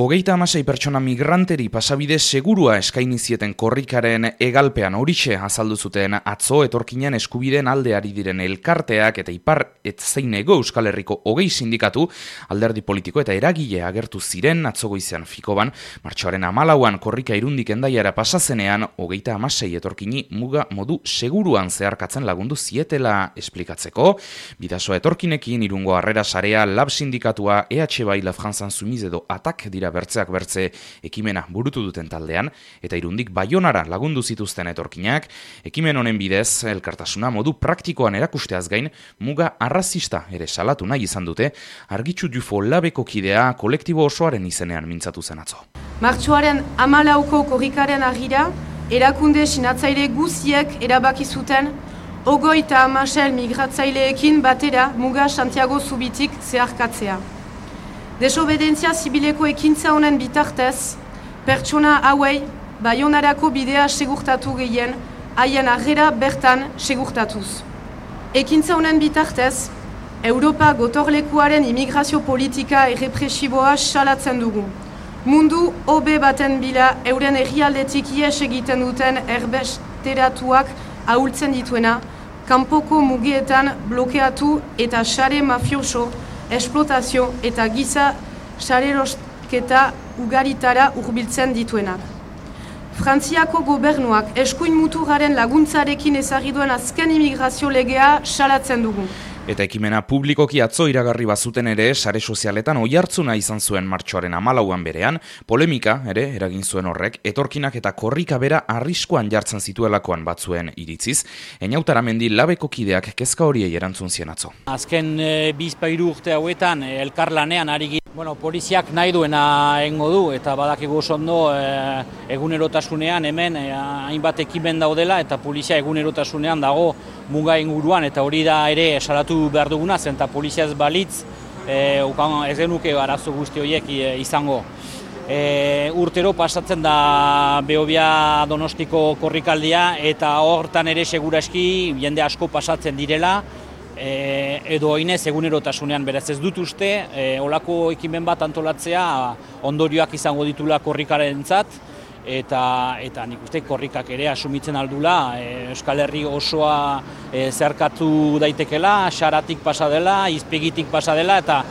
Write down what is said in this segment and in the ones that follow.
36 pertsona migranteri pasabide segurua eskaini zieten korrikaren hegalpean horixe azaldu zuten atzo etorkinen eskubideen alde ari diren elkarteak eta Ipar Etzaineko Euskal Herriko 20 sindikatu, alderdi politiko eta eragile agertu ziren atzo goizean Fikoban, martxoaren 14an korrika Irundik Hendaiara pasazenean 36 etorkini muga modu seguruan zeharkatzen lagundu zietela esplikatzeko. Bidasoa etorkinekin Irungo Harrera Sarea, Lab sindikatua, EH Bai, La France Insoumise edo Atak dira bertzeak bertze ekimena burutu duten taldean, eta Irundik Baionara lagundu zituzten etorkinak. Ekimen honen bidez, elkartasuna modu praktikoan erakusteaz gain, muga arrazista ere salatu nahi izan dute, Argitxu Dufo Labeko kidea kolektibo osoaren izenean mintzatu zen atzo. Martxoaren 14ko korrikaren argira, erakunde sinatzaile guziek erabaki zuten 36 migratzaileekin batera muga Santiago Zubitik zeharkatzea. Desobedentzia zibileko ekintza honen bitartez, pertsona hauei Baionarako bidea segurtatu gehien, haien harrera bertan segurtatuz. Ekintza honen bitartez, Europa gotorlekuaren immigrazio politika errepresiboa salatzen dugu. Mundu hobe baten bila euren herrialdetik ihes egiten duten erbesteratuak ahultzen dituena, kanpoko mugietan blokeatu eta sare mafioso, esplotazio eta giza sarerosketa ugaritara hurbiltzen dituenak. Frantziako gobernuak eskuin muturraren laguntzarekin ezarri duen azken immigrazio legea salatzen dugu. Eta ekimena publikoki atzo iragarri bazuten ere, sare sozialetan oihartzuna izan zuen martxoaren 14an berean, polemika ere eragin zuen horrek, etorkinak eta korrika bera arriskuan jartzen zituelakoan batzuen iritziz. Einautara Mendi Labeko kideak kezka horiei erantzun zien atzo. Azken 2-3 urte hauetan elkarlanean ari poliziak nahi duena egingo du, eta badakigu oso ondo egunerotasunean hemen hainbat ekimen daudela, eta polizia egunerotasunean dago muga inguruan, eta hori da ere salatu behar duguna, zen eta polizia ez balitz ez genuke arazo guzti horiek izango. Urtero pasatzen da Behobia Donostiko korrikaldia, eta hortan ere seguraski jende asko pasatzen direla, edo oinez egunerotasunean, beraz ez dut uste, olako ekimen bat antolatzea ondorioak izango ditula korrikarentzat, eta nik uste korrikak ere asumitzen aldula, Euskal Herri osoa zeharkatu daitekela, Xaratik pasa dela, Izpegitik pasa dela, eta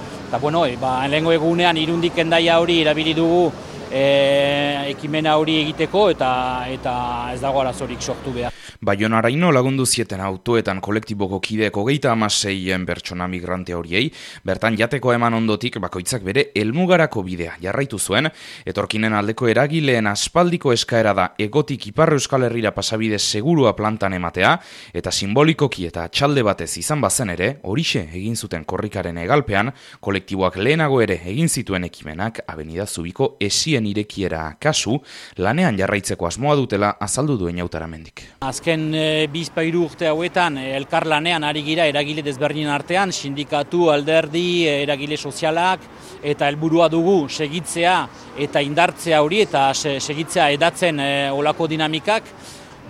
lehengo egunean Irundik Hendaia hori erabili dugu ekimena hori egiteko, eta ez dago arazorik sortu behar. Baionaraino lagundu zieten autoetan kolektiboko kideek 36 pertsona migrante horiei, bertan jateko eman ondotik bakoitzak bere helmugarako bidea jarraitu zuen, etorkinen aldeko eragileen aspaldiko eskaera da Hegotik Ipar Euskal Herrira pasabide segurua plantan ematea, eta simbolikoki eta txalde batez izan bazen ere, horixe egin zuten korrikaren hegalpean, kolektiboak lehenago ere egin zituen ekimenak Avenida Zubiko esien irekiera kasu, lanean jarraitzeko asmoa dutela azaldu du Einautara Mendik. Azken 2-3 urte hauetan elkarlanean ari gira eragile desberdinen artean, sindikatu, alderdi, eragile sozialak, eta helburua dugu segitzea eta indartzea hori, eta segitzea edatzen olako dinamikak.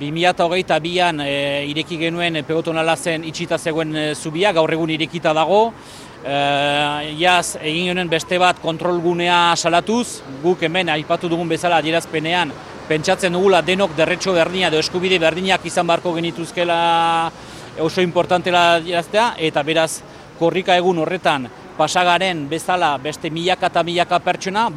2022an ireki genuen peatonala zen itxita zegoen zubia, gaur egun irekita dago. Iaz egin genuen beste bat kontrolgunea salatuz, guk hemen aipatu dugun bezala adierazpenean, pentsatzen dugula denok derretxo berdina edo eskubide berdinak izan beharko genituzkela oso importantela adieraztea, eta beraz korrika egun horretan pasagaren bezala beste milaka eta milaka pertsona,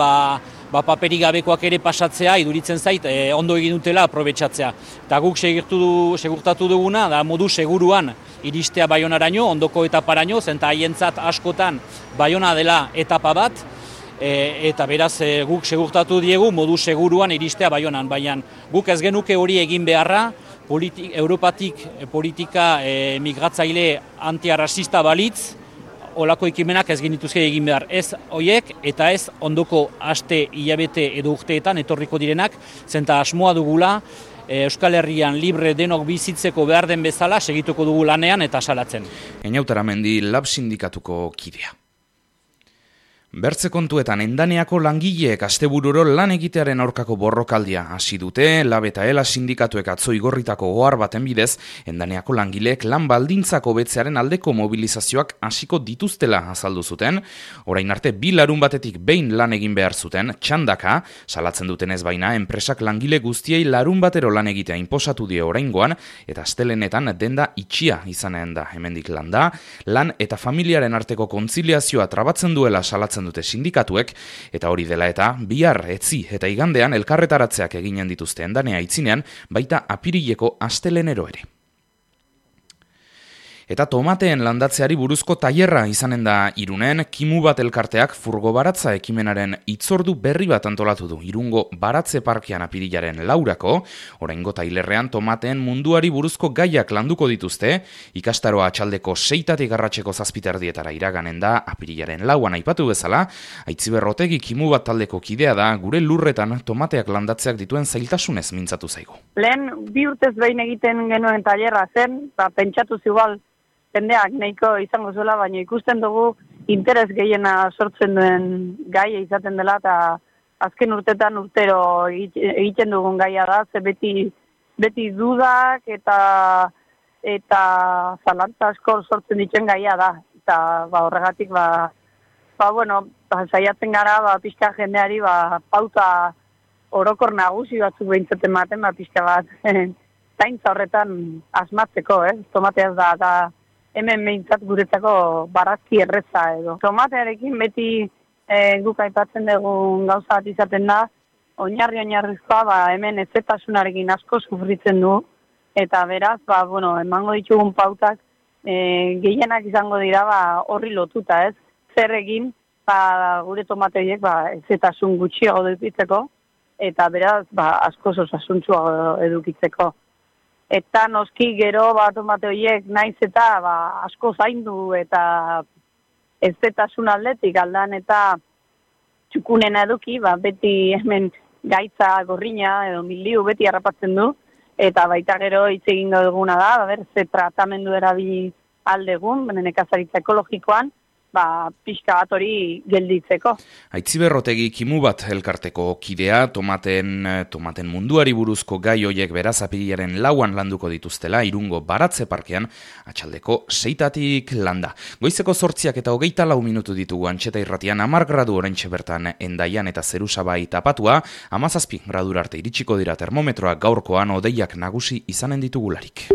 paperik gabekoak ere pasatzea iduritzen zait ondo egin dutela aprobetxatzea. Eta guk segurtatu duguna da modu seguruan iristea Baionaraino, ondoko etaparaino, zenta haientzat askotan Baiona dela etapa bat, eta beraz guk segurtatu diegu modu seguruan iristea Baionan, baina guk ez genuke hori egin beharra, Europatik politika migratzaile antiarrazista balitz, olako ekimenak ez genituzke egin behar, ez hoiek eta ez ondoko aste, hilabete edo urteetan etorriko direnak, zenta asmoa dugula Euskal Herrian libre denok bizitzeko behar den bezala segituko dugu lanean eta salatzen. Einautara Mendi Lab sindikatuko kidea. Bertze kontuetan Endaneako langileek astebururo lan egitearen aurkako borrokaldia hasi dute. Lab eta Ela sindikatuek atzo igorritako ohar baten bidez, Endaneako langileek lan baldintzak hobetzearen aldeko mobilizazioak hasiko dituztela azaldu zuten. Orain arte 2 larunbatetik behin lan egin behar zuten, txandaka, salatzen dutenez baina enpresak langile guztiei larunbatero lan egitea inposatu die oraingoan, eta astelenetan denda itxia izanen da hemendik landa. Lan eta familiaren arteko kontziliazioa trabatzen duela salatzen dute sindikatuek, eta hori dela eta bihar, etzi eta igandean elkarretaratzeak eginen dituzte Endanea aitzinean, baita apirileko astelenero ere. Eta tomateen landatzeari buruzko tailerra izanen da Irunen. Kimu bat elkarteak furgo baratza ekimenaren hitzordu berri bat antolatu du Irungo baratze parkean apirilaren 4. Oraingo tailerrean tomateen munduari buruzko gaiak landuko dituzte. Ikastaroa atxaldeko 6 arratseko 7 iraganen da apirilaren 4 aipatu bezala. Aitziber Otegi Kimu bat taldeko kidea da, gure lurretan tomateak landatzeak dituen zailtasunez mintzatu zaigu. Lehen 2 urtez behin egiten genuen tailerra zen, pentsatu igual jendeak nahiko izango zuela, baina ikusten dugu interes gehiena sortzen duen gaia izaten dela, eta azken urtetan urtero egiten dugun gaia da, ze beti dudak eta zalantza asko sortzen ditzen gaia da. Eta horregatik, saiatzen gara, pixka jendeari, pauta orokor nagusi batzuk behintzaten maten, pixka bat, zaintza horretan asmatzeko, tomateaz da hemen behintzat guretzako barazki erreza edo. Tomatearekin beti guk aipatzen dugun gauza bat izaten da, oinarrizkoa hemen ezetasunarekin asko sufritzen du, eta beraz, emango ditugun pautak gehienak izango dira horri lotuta, ez? Zer egin, gure tomate horiek ezetasun gutxiago edukitzeko, eta beraz, asko osasuntsua edukitzeko. Eta noski gero tomate horiek naiz eta asko zaindu eta ezetasun aldetik aldan eta txukunen eduki, beti hemen gaitza gorrina edo miliu beti harrapatzen du, eta baita gero hitz egingo duguna da, ze tratamendu erabili aldegun, nekazaritza ekologikoan, pixka bat hori gelditzeko. Aitziber Otegi Kimu bat elkarteko kidea, tomaten munduari buruzko gai hoiek beraz apirilaren 4 landuko dituztela Irungo baratze parkean atxaldeko 6 landa. Goizeko 8 eta 24 minutu ditugu Antxeta irratian, 10 gradu oraintxe bertan Endaian eta Zerusabai tapatua, 17 gradura arte iritsiko dira termometroak gaurkoan hodeiak nagusi izanen ditugularik.